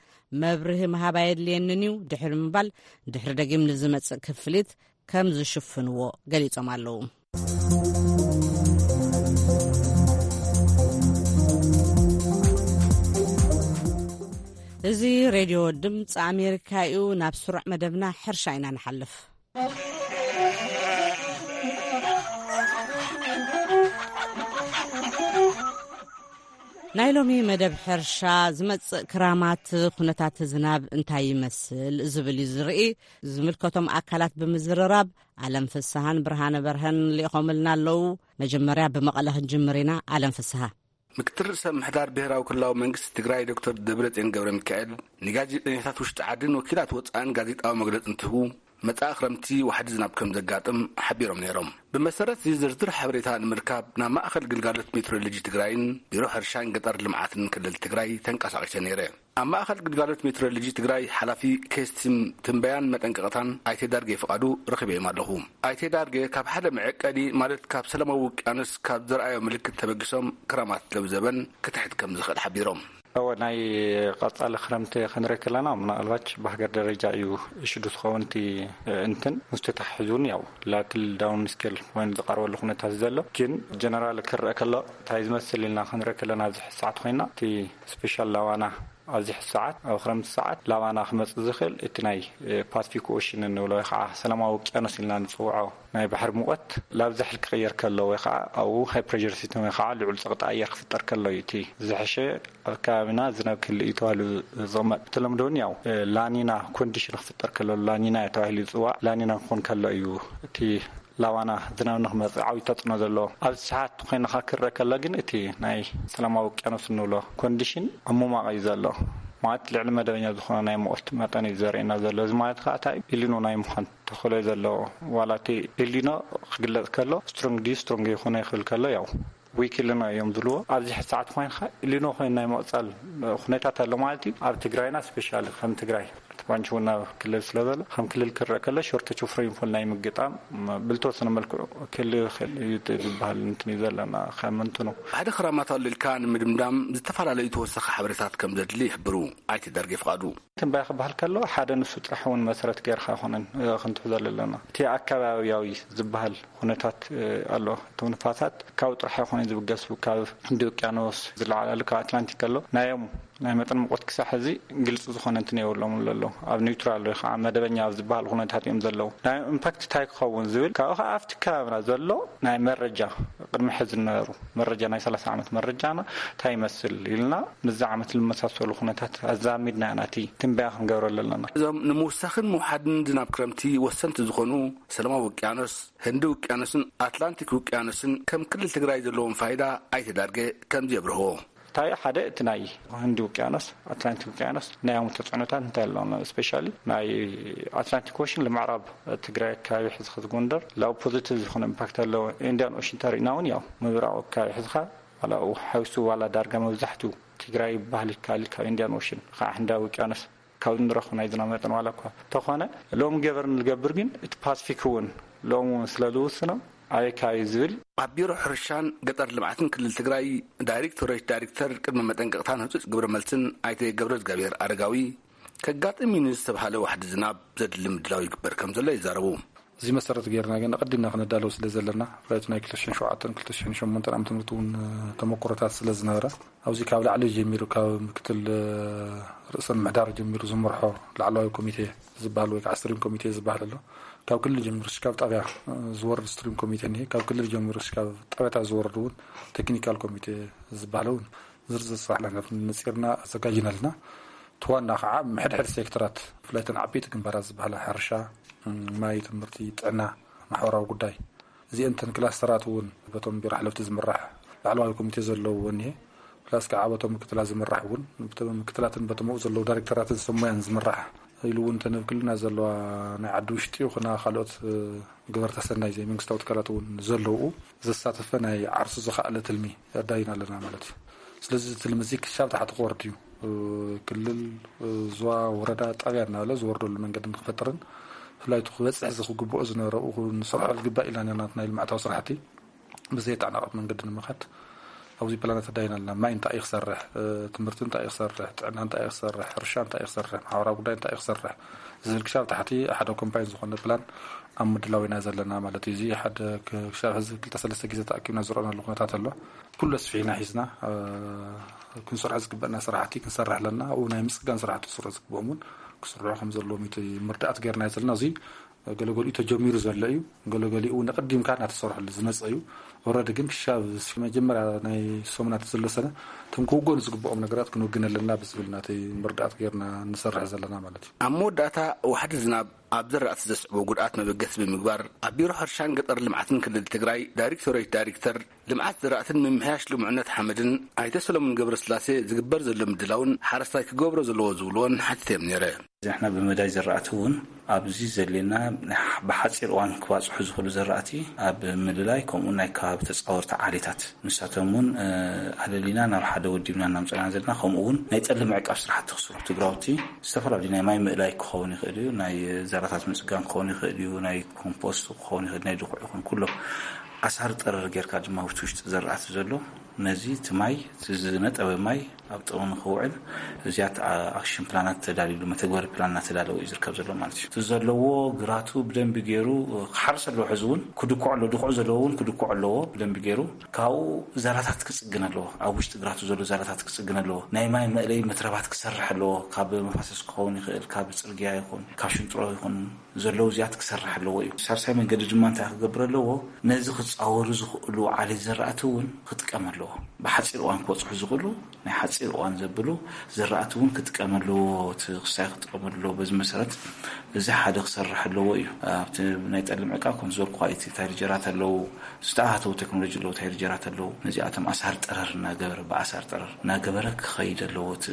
መብርሂ ምሃብ ኣየድልየንን እዩ ድሕሪ ምባል፣ ድሕሪ ደጊም ንዝመጽእ ክፍሊት ከም ዝሽፍንዎ ገሊጾም ኣለዉ። እዚ ሬድዮ ድምፂ ኣሜሪካ እዩ። ናብ ስሩዕ መደብና ሕርሻ ኢና ንሓልፍ። ናይ ሎሚ መደብ ሕርሻ ዝመጽእ ክራማት ኩነታት ዝናብ እንታይ ይመስል ዝብል እዩ ዝርኢ። ዝምልከቶም ኣካላት ብምዝርራብ ኣለም ፍስሃን ብርሃነ በርሀን ልኢኾምልና ኣለዉ። መጀመርያ ብመቐለ ክንጅምር ኢና። ኣለም ፍስሃ። ምክትል ርእሰ ምሕዳር ብሔራዊ ክልላዊ መንግስቲ ትግራይ ዶክተር ደብረጽዮን ገብረ ሚካኤል ንጋዜጠኛታት ውሽጢ ዓድን ወኪላት ወፃእን ጋዜጣዊ መግለፂ እንትህቡ፣ መጻኢ ክረምቲ ዋሕዲ ዝናብ ከም ዘጋጥም ሓቢሮም ነይሮም። ብመሰረት እዚ ዝርዝር ሓበሬታ ንምርካብ ናብ ማእኸል ግልጋሎት ሜትሮሎጂ ትግራይን ቢሮ ሕርሻን ገጠር ልምዓትን ክልል ትግራይ ተንቀሳቒሰ ነይረ። ኣብ ማእኸል ግልጋሎት ሜትሮሎጂ ትግራይ ሓላፊ ኬስቲም ትንበያን መጠንቀቕታን ኣይተ ዳርጌ ፍቓዱ ረኺበዮም ኣለኹ። ኣይተ ዳርጌ ካብ ሓደ መዐቀኒ ማለት ካብ ሰላማዊ ውቅያኖስ ካብ ዘርኣዮ ምልክት ተበጊሶም ክራማት ለውዘበን ክትሕት ከም ዝኽእል ሓቢሮም። እወ፣ ናይ ቀጻሊ ክረምቲ ክንርኢ ከለና ምናልባች ብሃገር ደረጃ እዩ እሽዱ ዝኸውን እቲ እንትን ምስቲ ተሓሒዙ እውን ያው ላክል ዳውን ስኬል ኮይኑ ዝቐርበሉ ኩነታት ዘሎ። ግን ጀነራል ክረአ ከሎ እንታይ ዝመስል ኢልና ክንርኢ ከለና ኣብዚ ሕዚ ሰዓት ኮይና እቲ ስፔሻል ላዋና ኣብዚ ሕዚ ሰዓት ኣብ ክረምቲ ሰዓት ላዋና ክመጽእ ዝኽእል እቲ ናይ ፓስፊክ ኦሽን እንብሎ ወይ ከዓ ሰላማዊ ውቅያኖስ ኢልና ንፅውዖ ናይ ባሕሪ ሙቐት ላብዛሕል ክቕየር ከሎ ወይ ከዓ ኣብኡ ሃይ ፕሬር ሲስተም ወይ ከዓ ልዑል ፀቕጢ ኣየር ክፍጠር ከሎ እዩ እቲ ዝሕሸ ኣብ ከባቢና ዝናብ ክህልእ እዩ ተባሂሉ ዝቕመጥ። ብተለምዶ እውን ያው ላኒና ኮንዲሽን ክፍጠር ከሎ ላኒና ተባሂሉ ዝፅዋዕ ላኒና ክኾን ከሎ እዩ እቲ ላዋና ዝናብ ንክመፅእ ዓብዪ ተፅዕኖ ዘለዎ። ኣብዚ ሰዓት ኮይንካ ክረአ ከሎ ግን እቲ ናይ ሰላማዊ ውቅያኖስ እንብሎ ኮንዲሽን ኣብ ምሟቕ እዩ ዘሎ። ማለት ልዕሊ መደበኛ ዝኾነ ናይ ሙቐት መጠን እዩ ዘርእየና ዘሎ። እዚ ማለት ከዓ እንታይ ኢሊኖ ናይ ምዃን ተኽእሎ እዩ ዘለዎ። ዋላ እቲ ኢሊኖ ክግለፅ ከሎ ስትሮንግ ድዩ ስትሮንግ ይኾነ ይኽእል ከሎ ያው ዊክ ኢሊኖ እዮም ዝብልዎ። ኣብዚ ሕዚ ሰዓት ኮይንካ ኢሊኖ ኮይኑ ናይ ምቕፃል ኩነታት ኣሎ ማለት እዩ። ኣብ ትግራይና ስፔሻሊ ከም ትግራይ እቲ ባንች እውን ኣብ ክልል ስለ ዘሎ ከም ክልል ክረአ ከሎ ሾርተች ኦፍ ሬንፎል ናይ ምግጣም ብልተወሰነ መልክዑ ክህልው ይኽእል እዩ ዝበሃል እንትን እዩ ዘለና ከም እንትኑ። ሓደ ክራማት ኣሎ ኢልካ ንምድምዳም ዝተፈላለዩ ተወሳኺ ሓበሬታት ከም ዘድሊ ይሕብሩ ኣይተ ዳርጌ ፍቓዱ። ትንበያ ክበሃል ከሎ ሓደ ንሱ ጥራሕ እውን መሰረት ጌርካ ኣይኮነን ክንትሕዞ ዘለና። እቲ ኣከባቢያዊ ዝበሃል ኩነታት ኣሎ። እቶም ንፋሳት ካብ ጥራሕ ኣይኮነን ዝብገሱ፣ ካብ ህንዲ ውቅያኖስ ዝለዓላሉ ካብ ኣትላንቲክ ከሎ ናዮም ናይ መጠን ሙቐት ክሳብ ሕዚ ግልፂ ዝኾነ እንትን የብሎም ዘሎ። ኣብ ኒውትራል ወይ ከዓ መደበኛ ኣብ ዝበሃል ኩነታት እዮም ዘለዉ። ናይ ኢምፓክት እንታይ ክኸውን ዝብል ካብኡ ከዓ ኣብቲ ከባብና ዘሎ ናይ መረጃ ቅድሚ ሕዚ ዝነበሩ መረጃ ናይ ሰላሳ ዓመት መረጃና እንታይ ይመስል ኢልና ምስዚ ዓመት ዝመሳሰሉ ኩነታት ኣዛሚድና ኢና እቲ ትንበያ ክንገብረሉ ኣለና። እዞም ንምውሳኽን ምውሓድን ዝናብ ክረምቲ ወሰንቲ ዝኾኑ ሰላማዊ ውቅያኖስ፣ ህንዲ ውቅያኖስን ኣትላንቲክ ውቅያኖስን ከም ክልል ትግራይ ዘለዎም ፋይዳ ኣይተ ዳርጌ ከምዚ የብርህዎ። እንታይ ሓደ እቲ ናይ ህንዲ ውቅያኖስ ኣትላንቲክ ውቅያኖስ ናይ ኣሙ ተፅዕኖታት እንታይ ኣለዎም ስፔሻሊ ናይ ኣትላንቲክ ኦሽን ንምዕራብ ትግራይ ኣካባቢ ሕዚ ከዚ ጎንደር ላው ፖዚቲቭ ዝኾነ ኢምፓክት ኣለዎ። ኢንዲያን ኦሽን ተሪእና እውን ያው ምብራቕ ኣካባቢ ሕዝኻ ዋላ ሓዊሱ ዋላ ዳርጋ መብዛሕትኡ ትግራይ ይበሃል ይካል ካብ ኢንዲያን ኦሽን ከዓ ህንዳዊ ውቅያኖስ ካብ ንረኽቦ ናይ ዝናብ መጠን ዋላ እኳ ተኾነ ሎም ገበር ንገብር ግን እቲ ፓስፊክ እውን ሎም እውን ስለ ዝውስኖ ኣበይ ከባቢ ዝብል ኣብ ቢሮ ሕርሻን ገጠር ልምዓትን ክልል ትግራይ ዳይሬክቶሬት ዳይሬክተር ቅድመ መጠንቀቕታን ህፁፅ ግብረ መልስን ኣይተ ገብረ እግዚኣብሔር ኣረጋዊ ከጋጥም እዩ ንዝተባሃለ ዋሕዲ ዝናብ ዘድሊ ምድላው ይግበር ከም ዘሎ ይዛረቡ። እዚ መሰረት ገይርና ግን ኣቐዲምና ክነዳለው ስለ ዘለና ብፍላይ ናይ ክልተ ሽሕን ሸውዓተን ክልተ ሽሕን ሸሞንተን ዓመተ ምህረት እውን ተመክሮታት ስለ ዝነበረ ኣብዚ ካብ ላዕሊ ጀሚሩ ካብ ምክትል ርእሰ ምምሕዳር ጀሚሩ ዝመርሖ ላዕለዋይ ኮሚቴ ዝበሃል ወይ ከዓ ስትሪም ኮሚቴ ዝበሃል ኣሎ። ካብ ክልል ጀሚሩ እስካብ ጣብያ ዝወርድ ስትሪም ኮሚቴ እኒሀ። ካብ ክልል ጀሚሩ እስካብ ጣብያታት ዝወርድ እውን ቴክኒካል ኮሚቴ ዝበሃል እውን ዝርዝር ስራሕ መፂርና ኣዘጋጅና ኣለና። እቲ ዋና ከዓ ሕድሕድ ሴክተራት ብፍላይ እተን ዓበይቲ ግንባራት ዝበሃላ ሕርሻ፣ ማይ፣ ትምህርቲ፣ ጥዕና፣ ማሕበራዊ ጉዳይ እዚአን እተን ክላስተራት እውን በቶም ቢሮ ሓለፍቲ ዝምራሕ ላዕለዋይ ኮሚቴ ዘለዎ እኒሀ። ፕላስ ከዓ በቶም ምክትላት ዝምራሕ እውን ምክትላትን በቶም ዘለዉ ዳይሬክተራትን ሰብ ሞያን ዝምራሕ ኢሉ እውን ተነብ ክልና ዘለዋ ናይ ዓዲ ውሽጢ ይኹና ካልኦት ግበርተ ሰናይ ዘይመንግስታዊ ትካላት እውን ዘለዉ ዘሳተፈ ናይ ዓርሱ ዝኸኣለ ትልሚ ኣዳይና ኣለና ማለት እዩ። ስለዚ እዚ ትልሚ እዚ ክሻብ ታሕቲ ክወርድ እዩ። ክልል፣ ዞባ፣ ወረዳ፣ ጣብያ እናበለ ዝወርደሉ መንገዲ ንክፈጥርን ብፍላይ እቲ ክበፅሕ ዝግብኦ ዝነበረ ንሰርሖ ዝግባእ ኢልና ናትና ልምዓታዊ ስራሕቲ ብዘየተዓናቐፍ መንገዲ ንምኻድ ኣብዚ ፕላናት ኣዳይና ኣለና። ማይ እንታይ እዩ ክሰርሕ፣ ትምህርቲ እንታይ እዩ ክሰርሕ፣ ጥዕና እንታይ እዩ ክሰርሕ፣ ሕርሻ እንታይ እዩ ክሰርሕ፣ ማሕበራዊ ጉዳይ እንታይ እዩ ክሰርሕ ዝብል ክሻብ ታሕቲ ሓደ ኮምባይን ዝኾነ ፕላን ኣብ ምድላው ኢና ዘለና ማለት እዩ። እዚ ሓደ ክሻብ ሕዚ ክልተ ሰለስተ ግዜ ተኣኪብና ዝረኣናሉ ኩነታት ኣሎ። ኩሉ ኣስፊሕና ሒዝና ክንሰርሖ ዝግበአና ስራሕቲ ክንሰርሕ ኣለና። ኣብኡ ናይ ምፅጋን ስራሕቲ ክስርሑ ዝግብኦም እውን ክስርሑ ከም ዘለዎም እዩ ምርዳእት ገይርና ዘለና። እዚ ገለገሊኡ ተጀሚሩ ዘሎ እዩ። ገለገሊኡ እውን ኣቐዲምካ እናተሰርሐሉ ዝመፀ እዩ። ኦረዲ ግን ክሻብ መጀመርያ ናይ ሰሙናት ዘሎ ሰነ እቶም ክውገኑ ዝግብኦም ነገራት ክንውግን ኣለና ብዝብል ናተይ መርዳእት ጌርና ንሰርሕ ዘለና ማለት እዩ። ኣብ መወዳእታ ዋሕዲ ዝናብ ኣብ ዘራእቲ ዘስዕቦ ጉድኣት መበገሲ ብምግባር ኣብ ቢሮ ሕርሻን ገጠር ልምዓትን ክልል ትግራይ ዳይሬክቶሬት ዳይሬክተር ልምዓት ዘራእትን ምምሕያሽ ልሙዕነት ሓመድን ኣይተ ሰሎሞን ገብረስላሴ ዝግበር ዘሎ ምድላውን ሓረስታይ ክገብሮ ዘለዎ ዝብልዎን ሓቲተዮም ነይረ። እዚ ንሕና ብመዳይ ዘራእቲ እውን ኣብዚ ዘለና ብሓፂር እዋን ክባፅሑ ዝኽእሉ ዘራእቲ ኣብ ምልላይ ከምኡ ናይ ከባቢ ተፃወርቲ ዓሌታት ንሳቶም እውን ኣለሊና ናብ ሓደ ወዲብና እናምፀና ዘለና ከምኡ እውን ናይ ጠሊ ምዕቃብ ስራሕቲ ክስሩ ትግራውቲ ዝተፈላለዩ ናይ ማይ ምእላይ ክኸውን ይኽእል እዩ፣ ናይ ዘራታት ምፅጋን ክኸውን ይኽእል እዩ፣ ናይ ኮምፖስት ክኸውን ይኽእል፣ ናይ ድኹዕ ይኹን ኩሎም ኣሳር ጠረር ጌርካ ድማ ውሽጢ ውሽጢ ዘራእቲ ዘሎ ነዚ እቲ ማይ እቲ ዝነጠበ ማይ ኣብ ጥቕሚ ንክውዕል እዚያት ኣክሽን ፕላናት ተዳልሉ መተግበሪ ፕላን እናተዳለወ እዩ ዝርከብ ዘሎ ማለት እዩ። እቲ ዘለዎ ግራቱ ብደንቢ ገይሩ ክሓርስ ኣለዎ። ሕዚ እውን ክድኩዕ ኣለዎ። ድኩዕ ዘለዎ እውን ክድኩዕ ኣለዎ። ብደንቢ ገይሩ ካብኡ ዛላታት ክፅግን ኣለዎ። ኣብ ውሽጢ ግራቱ ዘሎ ዛላታት ክፅግን ኣለዎ። ናይ ማይ መእለይ መትረባት ክሰርሕ ኣለዎ። ካብ መፋሰስ ክኸውን ይኽእል፣ ካብ ፅርግያ ይኹን ካብ ሽንጥሮ ይኹን ዘለዉ እዚኣት ክሰርሕ ኣለዎ እዩ። ሳልሳይ መንገዲ ድማ እንታይ ክገብር ኣለዎ? ነዚ ክፃወሩ ዝኽእሉ ዓሌት ዘራእቲ እውን ክጥቀም ኣለዎ። ብሓፂር እዋን ክበፅሑ ዝኽእሉ ናይ ሓፂር እዋን ዘብሉ ዘራእቲ እውን ክጥቀም ኣለዎ። እቲ ክሳይ ክጥቀም ኣለዎ። በዚ መሰረት እዚ ሓደ ክሰርሕ ኣለዎ እዩ። ኣብቲ ናይ ጠሊ ምዕቃብ ከም ዝበልኩ እቲ ታይርጀራት ኣለዉ፣ ዝተኣታተዉ ቴክኖሎጂ ኣለዉ፣ ታይርጀራት ኣለዉ። ነዚኣቶም ኣሳር ጠረር እናገበረ ብኣሳር ጠረር እናገበረ ክኸይድ ኣለዎ እቲ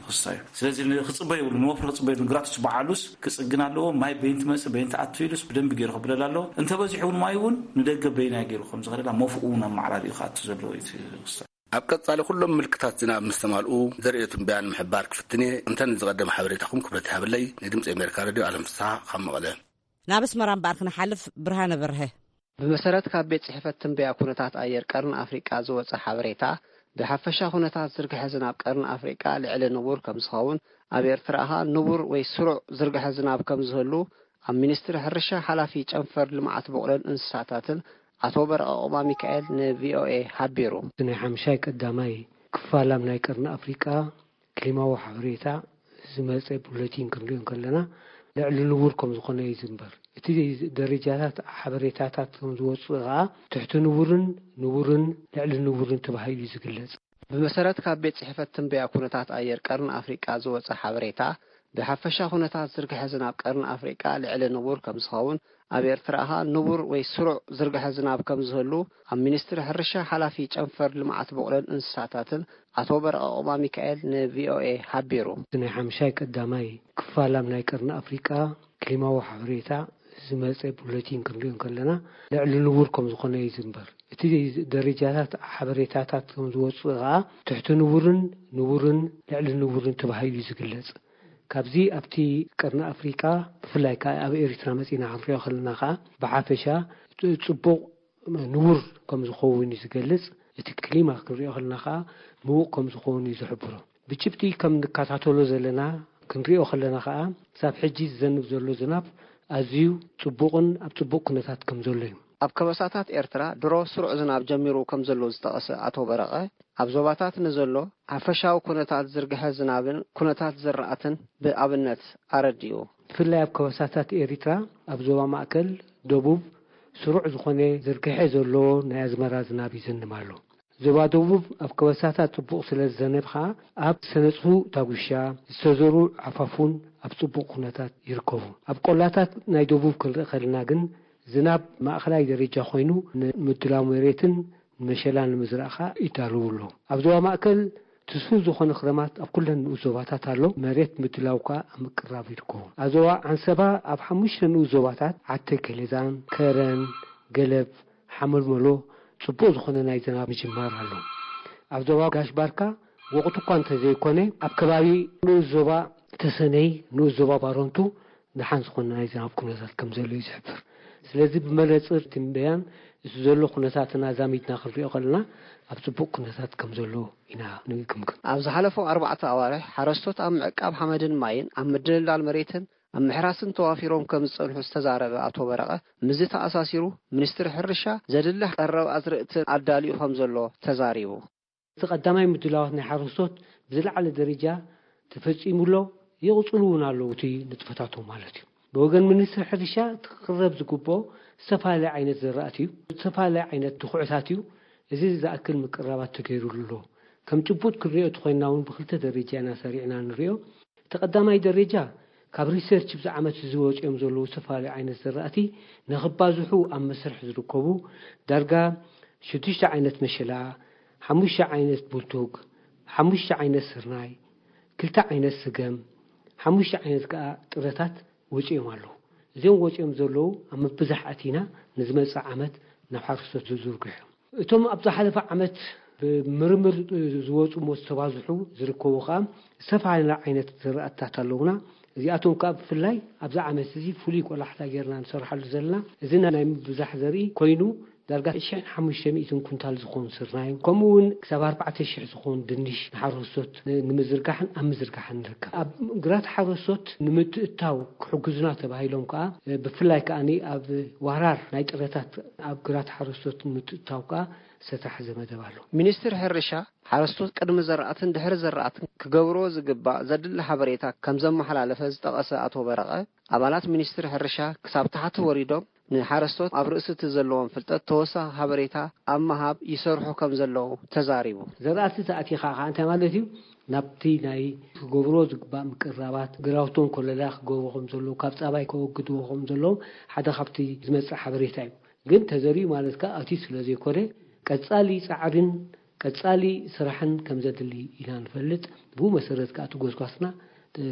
ክስታይ እዩ። ስለዚ ክፅበ የብሉ ንወፍሪ ክፅበ የብሉ። ግራትስ በዓሉስ ክፅግን ኣለዎ። ማይ በይንቲ መፅእ በይንቲ ኣቱ ኢሉስ ብደንቢ ገይሩ ክብለል ኣለዎ። እንተበዚሑ እውን ማይ እውን ንደገ በይናይ ገይሩ ከም ዝኸደላ መፍኡ እውን ኣመዓራሪኡ ክኣቱ ዘለዎ እዩ እቲ ክስታይ። ኣብ ቀጻሊ ኩሎም ምልክታት ዝናብ ምስ ተማልኡ ዘርእዮ ትንበያ ንምሕባር ክፍትን እየ። እንተ ንዝቐደመ ሓበሬታኹም ክብረት ይሃበለይ። ንድምፂ ኣሜሪካ ሬድዮ ኣለም ፍስሓ ካብ መቐለ። ናብ ኣስመራ እምበኣር ክንሓልፍ ብርሃነ በርሀ። ብመሰረት ካብ ቤት ጽሕፈት ትንበያ ኩነታት ኣየር ቀርኒ ኣፍሪቃ ዝወጸ ሓበሬታ፣ ብሓፈሻ ኩነታት ዝርግሐ ዝናብ ቀርኒ ኣፍሪቃ ልዕሊ ንቡር ከም ዝኸውን፣ ኣብ ኤርትራ ኸኣ ንቡር ወይ ስሩዕ ዝርግሐ ዝናብ ከም ዝህሉ ኣብ ሚኒስትሪ ሕርሻ ሓላፊ ጨንፈር ልምዓት በቑለን እንስሳታትን ኣቶ በረቐ ኦባ ሚካኤል ንቪኦኤ ሓቢሩ። እቲ ናይ ሓምሻይ ቀዳማይ ክፋል ኣብ ናይ ቀርኒ ኣፍሪቃ ክሊማዊ ሓበሬታ ዝመጸ ቡለቲን ክንሪኦ እንከለና፣ ልዕሊ ንቡር ከም ዝኾነ እዩ ዝንበር። እቲ ደረጃታት ሓበሬታታት ከም ዝወጽእ ከኣ ትሕቲ ንቡርን ንቡርን ልዕሊ ንቡርን ተባሂሉ እዩ ዝግለጽ። ብመሰረት ካብ ቤት ጽሕፈት ትንበያ ኩነታት ኣየር ቀርኒ ኣፍሪቃ ዝወጸ ሓበሬታ፣ ብሓፈሻ ኩነታት ዝርግሐ ዝናብ ቀርኒ ኣፍሪቃ ልዕሊ ንቡር ከም ዝኸውን፣ ኣብ ኤርትራ ኸኣ ንቡር ወይ ስሩዕ ዝርግሐ ዝናብ ከም ዝህሉ ኣብ ሚኒስትሪ ሕርሻ ሓላፊ ጨንፈር ልምዓት በቑለን እንስሳታትን ኣቶ በረቐ ኦባ ሚካኤል ንቪኦኤ ሓቢሩ። እቲ ናይ ሓምሻይ ቀዳማይ ክፋል ኣብ ናይ ቀርኒ ኣፍሪቃ ክሊማዊ ሓበሬታ ዝመጸ ቡለቲን ክንሪኦ እንከለና፣ ልዕሊ ንቡር ከም ዝኾነ እዩ ዝንበር። እቲ ደረጃታት ሓበሬታታት ከም ዝወጽእ ከኣ ትሕቲ ንቡርን ንቡርን ልዕሊ ንቡርን ተባሂሉ እዩ ዝግለጽ። ካብዚ ኣብቲ ቀርኒ ኣፍሪቃ ብፍላይ ከኣ ኣብ ኤሪትራ መጺና ክንሪኦ ከለና ከኣ ብሓፈሻ ጽቡቕ ንቡር ከም ዝኸውን እዩ ዝገልጽ። እቲ ክሊማ ክንሪኦ ከለና ከኣ ምዉቕ ከም ዝኸውን እዩ ዝሕብሮ። ብጭብጢ ከም ንከታተሎ ዘለና ክንሪኦ ከለና ከኣ ክሳብ ሕጂ ዝዘንብ ዘሎ ዝናብ ኣዝዩ ጽቡቕን ኣብ ጽቡቕ ኩነታት ከም ዘሎ እዩ። ኣብ ከበሳታት ኤርትራ ድሮ ስሩዕ ዝናብ ጀሚሩ ከም ዘሎ ዝጠቐሰ ኣቶ በረቐ፣ ኣብ ዞባታት ንዘሎ ሓፈሻዊ ኩነታት ዝርግሐ ዝናብን ኩነታት ዝራእትን ብኣብነት ኣረዲኡ። ብፍላይ ኣብ ከበሳታት ኤሪትራ ኣብ ዞባ ማእከል፣ ደቡብ ስሩዕ ዝኾነ ዝርግሐ ዘሎ ናይ ኣዝመራ ዝናብ ይዘንብ ኣሎ። ዞባ ደቡብ ኣብ ከበሳታት ጽቡቕ ስለ ዝዘነብ ከኣ ኣብ ሰነጽሁ ዳጉሻ ዝተዘርኡ ዓፋፉን ኣብ ጽቡቕ ኩነታት ይርከቡ። ኣብ ቆላታት ናይ ደቡብ ክንርኢ ከለና ግን ዝናብ ማእከላይ ደረጃ ኮይኑ ንምድላው መሬትን ንመሸላ ንምዝራእ ከኣ ይዳለዉ ኣለዉ። ኣብ ዞባ ማእከል ትስፉው ዝኾነ ክረማት ኣብ ኩለን ንኡስ ዞባታት ኣሎ። መሬት ምድላው ከኣ ኣብ ምቅራብ ይርከቡ። ኣብ ዞባ ዓንሰባ ኣብ ሓሙሽተ ንኡስ ዞባታት ዓተ ገለዛን፣ ከረን፣ ገለብ፣ ሓመልመሎ ጽቡቕ ዝኾነ ናይ ዝናብ ምጅማር ኣሎ። ኣብ ዞባ ጋሽ ባርካ ወቕቱ እኳ እንተዘይኮነ ኣብ ከባቢ ንኡስ ዞባ ተሰነይ፣ ንኡስ ዞባ ባረንቱ ደሓን ዝኾነ ናይ ዝናብ ኩነታት ከም ዘሎ እዩ ዝሕብር። ስለዚ ብመነጽር ትንበያን እቲ ዘሎ ኩነታትን ኣዛሚድና ክንሪኦ ከለና ኣብ ጽቡቕ ኩነታት ከም ዘሎ ኢና ንግምግም። ኣብ ዝሓለፉ ኣርባዕተ ኣዋርሕ ሓረስቶት ኣብ ምዕቃብ ሓመድን ማይን ኣብ ምድልዳል መሬትን ኣብ ምሕራስን ተዋፊሮም ከም ዝጸንሑ ዝተዛረበ ኣቶ በረቐ፣ ምስዚ ተኣሳሲሩ ሚኒስትሪ ሕርሻ ዘድሊ ቀረብ ኣዝርእትን ኣዳሊኡ ከም ዘሎ ተዛሪቡ። እቲ ቀዳማይ ምድላዋት ናይ ሓረስቶት ብዝለዓለ ደረጃ ተፈጺሙ ኣሎ፣ ይቕጽሉ እውን ኣለዉ እቲ ንጥፈታቶም ማለት እዩ። ብወገን ሚኒስትሪ ሕርሻ እቲ ክቕረብ ዝግብኦ ዝተፈላለየ ዓይነት ዘራእቲ እዩ፣ ዝተፈላለየ ዓይነት ድኹዕታት እዩ። እዚ ዝኣክል ምቅራባት ተገይሩሉ ኣሎ። ከም ጭቡጥ ክንሪኦ ተኾይንና እውን ብክልተ ደረጃ ኢና ሰሪዕና ንሪኦ። እቲ ቀዳማይ ደረጃ ካብ ሪሰርች ብዚ ዓመት እዚ ወፂኦም ዘለዉ ዝተፈላለዩ ዓይነት ዘራእቲ ንኽባዝሑ ኣብ መስርሕ ዝርከቡ ዳርጋ ሽዱሽተ ዓይነት መሸላ፣ ሓሙሽተ ዓይነት ቡልቱግ፣ ሓሙሽተ ዓይነት ስርናይ፣ ክልተ ዓይነት ስገም፣ ሓሙሽተ ዓይነት ከዓ ጥረታት ወፂኦም ኣለዉ። እዚኦም ወፂኦም ዘለዉ ኣብ ምብዛሕ ኣቲና ንዝመፅእ ዓመት ናብ ሓረስቶት ዝዝርግሑ እዮም። እቶም ኣብ ዝሓለፈ ዓመት ብምርምር ዝወፁ እሞ ዝተባዝሑ ዝርከቡ ከዓ ዝተፈላለዩ ዓይነት ዘራእትታት ኣለዉና። እዚኣቶም ከዓ ብፍላይ ኣብዚ ዓመት እዚ ፍሉይ ቆላሕታ ጌርና ንሰርሓሉ ዘለና እዚ ናይ ምብዛሕ ዘርኢ ኮይኑ ዳርጋ ሽሕን ሓሙሽተ ሚእትን ኩንታል ዝኾን ስርናይ ከምኡ እውን ክሳብ ኣርባዕተ ሽሕ ዝኾን ድንሽ ንሓረስቶት ንምዝርጋሕን ኣብ ምዝርጋሕን ንርከብ። ኣብ ግራት ሓረስቶት ንምትእታው ክሕግዙና ተባሂሎም ከዓ ብፍላይ ከዓ ኣብ ዋራር ናይ ጥረታት ኣብ ግራት ሓረስቶት ንምትእታው ከዓ ዝተታሕዘ መደብ ኣሎ። ሚኒስትሪ ሕርሻ ሓረስቶት ቅድሚ ዘራእትን ድሕሪ ዘራእትን ክገብርዎ ዝግባእ ዘድሊ ሓበሬታ ከም ዘመሓላለፈ ዝጠቐሰ ኣቶ በረቐ፣ ኣባላት ሚኒስትሪ ሕርሻ ክሳብ ታሕቲ ወሪዶም ንሓረስቶት ኣብ ርእሲ እቲ ዘለዎም ፍልጠት ተወሳኺ ሓበሬታ ኣብ ምሃብ ይሰርሑ ከም ዘለዉ ተዛሪቡ። ዘራእቲ ተኣቲኻ ከዓ እንታይ ማለት እዩ? ናብቲ ናይ ክገብርዎ ዝግባእ ምቅራባት ግራውቶም ኮለላ ክገብሩ ከም ዘለዉ፣ ካብ ፃባይ ከወግድዎ ከም ዘለዎም ሓደ ካብቲ ዝመፅእ ሓበሬታ እዩ። ግን ተዘሪኡ ማለት ከዓ እቲ ስለ ዘይኮነ ቀፃሊ ፃዕሪን ቀፃሊ ስራሕን ከም ዘድሊ ኢና ንፈልጥ። ብኡ መሰረት ከዓ እቲ ጎስጓስና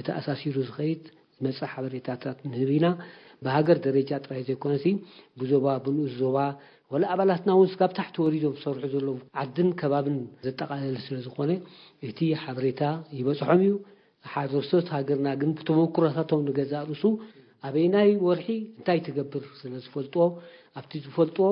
ተኣሳሲሩ ዝኸይድ ዝመፅእ ሓበሬታታት ንህብ ኢና። ብሃገር ደረጃ ጥራይ ዘይኮነሲ ብዞባ ብንኡስ ዞባ ወላ ኣባላትና እውን ስጋብ ታሕቲ ወሪዶም ዝሰርሑ ዘለዉ ዓድን ከባብን ዘጠቓለለ ስለ ዝኾነ እቲ ሓበሬታ ይበፅሖም እዩ። ሓረስቶት ሃገርና ግን ብተመኩሮታቶም ንገዛእ ርእሱ ኣበይናይ ወርሒ እንታይ ትገብር ስለ ዝፈልጥዎ ኣብቲ ዝፈልጥዎ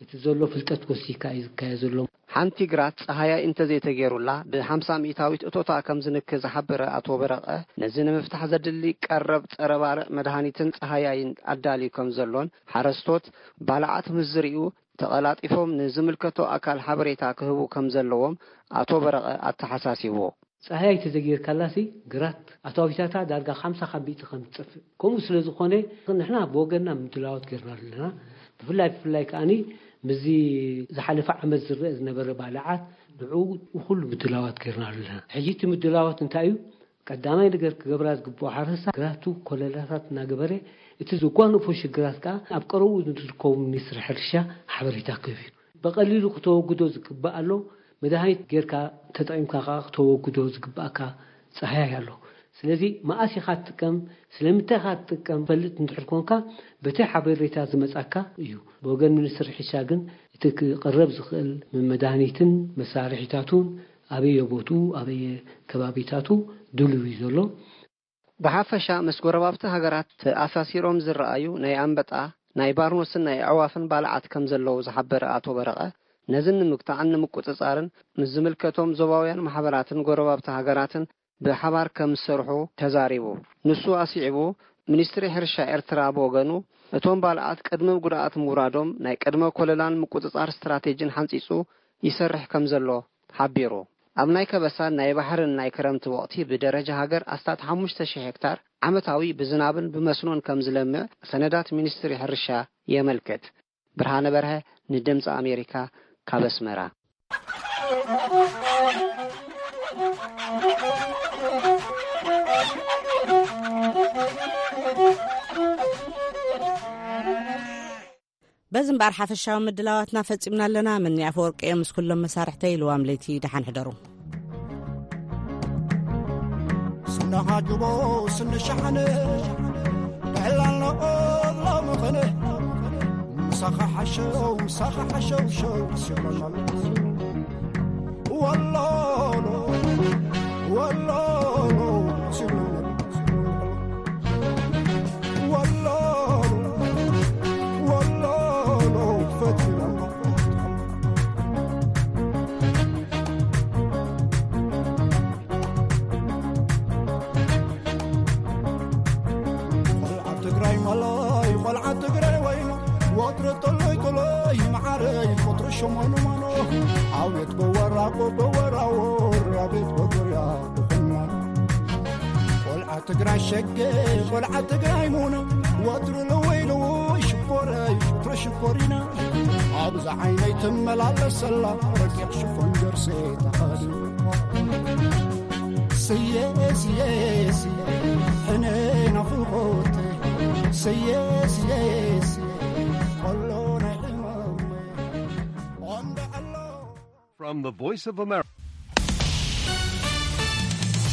እቲ ዘሎ ፍልጠት ወሲካ እዩ ዝካየ ዘሎ። ሓንቲ ግራት ፀሃያይ እንተዘይተገይሩላ ብ50 ሚእታዊት እቶታ ከም ዝንክ ዝሓበረ ኣቶ በረቐ፣ ነዚ ንምፍታሕ ዘድሊ ቀረብ ጸረ ባልዕ መድሃኒትን ፀሃያይን ኣዳልዩ ከም ዘሎን ሓረስቶት ባልዓት ምስ ዝርእዩ ተቐላጢፎም ንዝምልከቶ ኣካል ሓበሬታ ክህቡ ከም ዘለዎም ኣቶ በረቐ ኣተሓሳሲብዎ። ፀሃያይ ተዘጊርካላሲ ግራት ኣታዊታታ ዳርጋ 50 ካብ ሚእቲ ከም ትጠፍእ። ከምኡ ስለ ዝኾነ ንሕና ብወገንና ምድላዋት ጌርና ኣለና። ብፍላይ ብፍላይ ከዓኒ ምስዚ ዝሓለፈ ዓመት ዝረአ ዝነበረ ባልዓት ንዕኡ ኩሉ ምድላዋት ጌርና ኣለና። ሕጂ እቲ ምድላዋት እንታይ እዩ? ቀዳማይ ነገር ክገብራ ዝግብኦ ሓረስታ ግራቱ ኮለላታት እናገበረ እቲ ዘጓንፎ ሽግራት ከዓ ኣብ ቀረብኡ ንዝርከቡ ሚኒስትሪ ሕርሻ ሓበሬታ ክህብ እዩ። ብቐሊሉ ክተወግዶ ዝግባእ ኣሎ። መድሃኒት ጌርካ ተጠቒምካ ከዓ ክተወግዶ ዝግባእካ ፃህያይ ኣሎ። ስለዚ መኣስ ኢኻ ትጥቀም፣ ስለምንታይ ኢኻ ትጥቀም ፈልጥ እንድሕር ኮንካ በቲ ሓበሬታ ዝመፃካ እዩ። ብወገን ሚኒስትሪ ሕርሻ ግን እቲ ክቐረብ ዝኽእል መድሃኒትን መሳርሒታቱን ኣበየ ቦትኡ ኣበየ ከባቢታቱ ድሉው እዩ ዘሎ። ብሓፈሻ ምስ ጎረባብቲ ሃገራት ተኣሳሲሮም ዝረኣዩ ናይ ኣንበጣ፣ ናይ ባርኖስን ናይ ኣዕዋፍን ባልዓት ከም ዘለዉ ዝሓበረ ኣቶ በረቐ፣ ነዚ ንምግታዕን ንምቁጽጻርን ምስ ዝምልከቶም ዞባውያን ማሕበራትን ጎረባብቲ ሃገራትን ብሓባር ከም ዝሰርሑ ተዛሪቡ። ንሱ ኣስዒቡ፣ ሚኒስትሪ ሕርሻ ኤርትራ ብወገኑ፣ እቶም ባልዓት ቅድሚ ጉድኣት ምውራዶም ናይ ቅድመ ኮለላን ምቁጽጻር ስትራቴጂን ሓንጺጹ ይሰርሕ ከም ዘሎ ሓቢሩ። ኣብ ናይ ከበሳን ናይ ባሕርን ናይ ክረምቲ ወቕቲ ብደረጃ ሃገር ኣስታት ሓሙሽተ ሽሕ ሄክታር ዓመታዊ ብዝናብን ብመስኖን ከም ዝለምዕ ሰነዳት ሚኒስትሪ ሕርሻ የመልክት። ብርሃነ በርሀ ንድምፂ ኣሜሪካ ካብ ኣስመራ። በዚ እምበኣር ሓፈሻዊ ምድላዋትና ፈጺምና ኣለና። ምኒ ኣፈወርቂ እዮም ምስ ኩሎም መሳርሕተይ። ልዋም ለይቲ ደሓን ሕደሩ። ስንሓጅቦ ስንሸሓነ ብዕላል ነቐብሎ ምኽነ ምሳኻ ሓሸው ምሳኻ ሓሸው ሸው ሲብሎናል። ወሎሎ ወሎሎ ሲብሎናል። ወሎሎ ወሎሎ ፈቲና ቆልዓ ትግራይ ማላይ ቆልዓ ትግራይ ወይኑ ወትረ ጠሎይ ጠሎይ መዓረይ ቆጥሪ ሸሞኑ ማኖ ኣቤት በወራቆ በወራወር ኣቤት በጎርያ ቆልዓ ትግራይ ሸገ ቆልዓ ትግራይ ሙኖ ወትሩ ልወይ ልወይ ሽኮረይ ሽኮረ ሽኮሪና ኣብዛ ዓይነይ ትመላለሰላ ረቂቕ ሽፎን ጀርሴ ተኸዲና ስየ ስየ ስየ ሕነ ናፍቆት ስየ ስየ ስየ ቆሎ ናይ ሕማመይ ቆንዶ ኣሎ From the Voice of America.